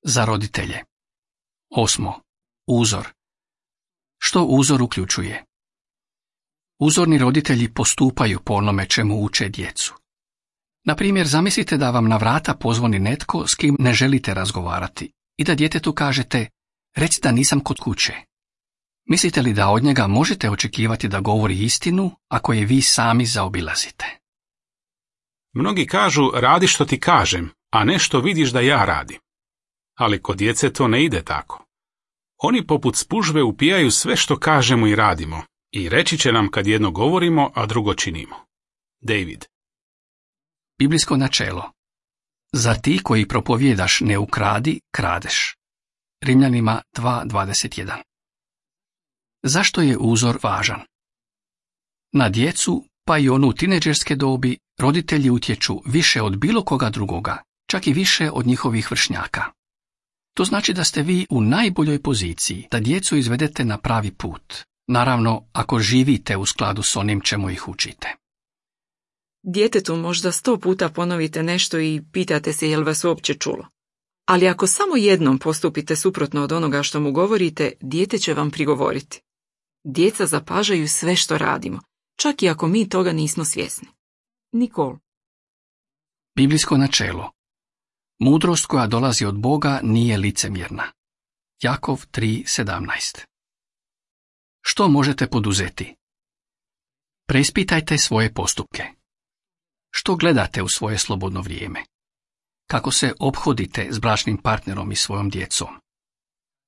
Za roditelje. 8. Uzor. Što uzor uključuje? Uzorni roditelji postupaju po onome čemu uče djecu. Na primjer, zamislite da vam na vrata pozvoni netko s kim ne želite razgovarati i da djetetu kažete: reci da nisam kod kuće. Mislite li da od njega možete očekivati da govori istinu ako je vi sami zaobilazite? Mnogi kažu: radi što ti kažem, a ne što vidiš da ja radim. Ali kod djece to ne ide tako. Oni poput spužve upijaju sve što kažemo i radimo i reći će nam kad jedno govorimo, a drugo činimo. David. Biblijsko načelo. Za ti koji propovjedaš ne ukradi, kradeš. Rimljanima 2.21. Zašto je uzor važan? Na djecu, pa i onu u tinejdžerske dobi, roditelji utječu više od bilo koga drugoga, čak i više od njihovih vršnjaka. To znači da ste vi u najboljoj poziciji da djecu izvedete na pravi put, naravno ako živite u skladu s onim čemu ih učite. Djetetu možda 100 puta ponovite nešto i pitate se jel vas uopće čulo. Ali ako samo jednom postupite suprotno od onoga što mu govorite, dijete će vam prigovoriti. Djeca zapažaju sve što radimo, čak i ako mi toga nismo svjesni. Nikol. Biblijsko načelo. Mudrost koja dolazi od Boga nije licemjerna. Jakov 3.17. Što možete poduzeti? Preispitajte svoje postupke. Što gledate u svoje slobodno vrijeme? Kako se ophodite s bračnim partnerom i svojom djecom?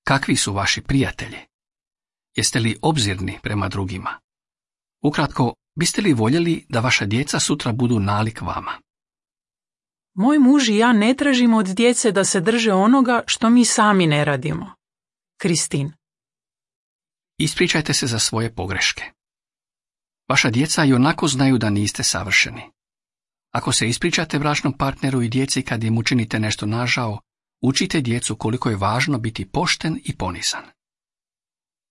Kakvi su vaši prijatelji? Jeste li obzirni prema drugima? Ukratko, biste li voljeli da vaša djeca sutra budu nalik vama? Moj muž i ja ne tražimo od djece da se drže onoga što mi sami ne radimo. Kristin. Ispričajte se za svoje pogreške. Vaša djeca i onako znaju da niste savršeni. Ako se ispričate bračnom partneru i djeci kad im učinite nešto nažao, učite djecu koliko je važno biti pošten i ponizan.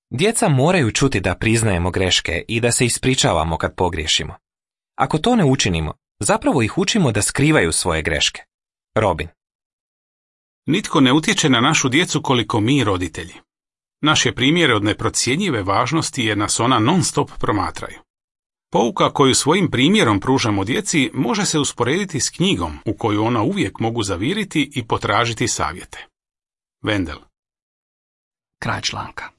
Djeca moraju čuti da priznajemo greške i da se ispričavamo kad pogriješimo. Ako to ne učinimo, zapravo ih učimo da skrivaju svoje greške. Robin. Nitko ne utječe na našu djecu koliko mi, roditelji. Naš je primjer od neprocjenjive važnosti jer nas ona non-stop promatraju. Pouka koju svojim primjerom pružamo djeci može se usporediti s knjigom u koju ona uvijek mogu zaviriti i potražiti savjete. Vendel. Kraj članka.